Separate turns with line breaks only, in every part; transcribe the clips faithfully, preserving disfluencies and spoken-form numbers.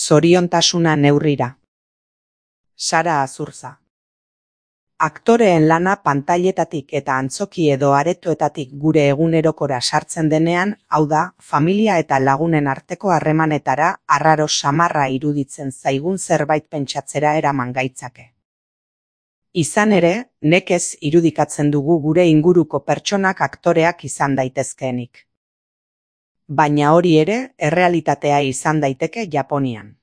Zoriontasuna neurrira. Sara Azurza. Aktoreen lana pantailetatik eta antzoki edo aretoetatik gure egunerokora sartzen denean, hau da, familia eta lagunen arteko harremanetara arraro samarra iruditzen zaigun zerbait pentsatzera eraman gaitzake. Izan ere, nekez irudikatzen dugu gure inguruko pertsonak aktoreak izan daitezkeenik. Baina hori ere, errealitatea izan daiteke Japonian.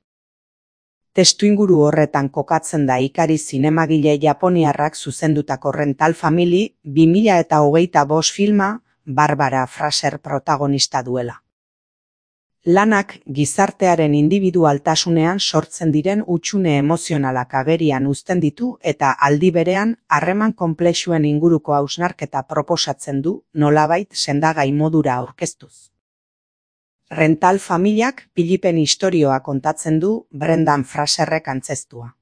Testuinguru horretan kokatzen da Ikari zinemagile japoniarrak zuzendutako Rental Family bi mila hogeita bost filma Barbara Fraser protagonista duela. Lanak gizartearen indibidualtasunean sortzen diren hutsune emozionalak agerian uzten ditu eta aldi berean harreman konplexuen inguruko hausnarketa proposatzen du nolabait sendagai modura aurkeztuz. Rental Familiak Pilipen istorioa kontatzen du Brendan Fraserrek antzeztua.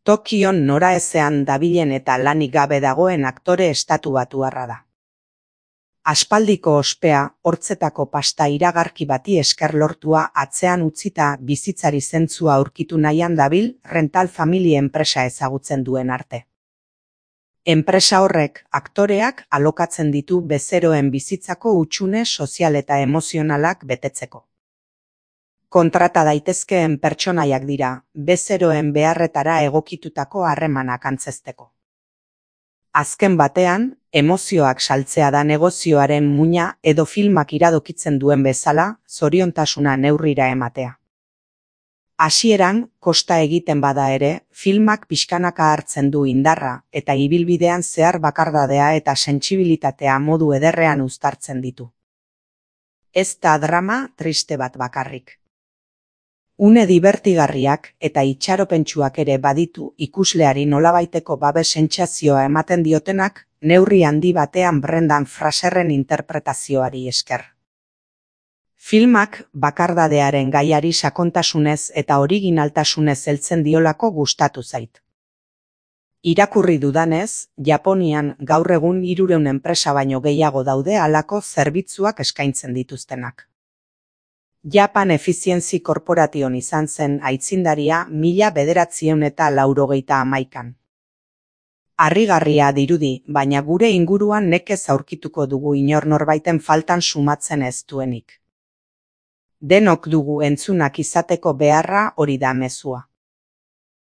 Tokion noraezean dabilen eta lanik gabe dagoen aktore estatubatuarra da. Aspaldiko ospea, hortzetako pasta iragarki bati esker lortua atzean utzita bizitzari zentzua aurkitu nahian dabil Rental Family enpresa ezagutzen duen arte. Enpresa horrek aktoreak alokatzen ditu bezeroen bizitzako hutsune sozial eta emozionalak betetzeko. Kontrata daitezkeen pertsonaiak dira, bezeroen beharretara egokitutako harremanak antzezteko. Azken batean, emozioak saltzea da negozioaren muina edo filmak iradokitzen duen bezala, zoriontasuna neurrira ematea. Hasieran, kosta egiten bada ere, filmak pixkanaka hartzen du indarra eta ibilbidean zehar bakardadea eta sentsibilitatea modu ederrean uztartzen ditu. Ez da drama triste bat bakarrik. Une dibertigarriak eta itxaropentsuak ere baditu ikusleari nolabaiteko babes sentsazioa ematen diotenak neurri handi batean Brendan Fraserren interpretazioari esker. Filmak bakardadearen gaiari sakontasunez eta originaltasunez heltzen diolako gustatu zait. Irakurri dudanez, Japonian gaur egun hirurehun enpresa baino gehiago daude halako zerbitzuak eskaintzen dituztenak. Japan Efficiency Corporation izan zen aitzindaria mila bederatziehun eta laurogeita hamaikan. Harrigarria dirudi, baina gure inguruan nekez aurkituko dugu inor norbaiten faltan sumatzen ez duenik. Denok dugu entzunak izateko beharra hori da mezua.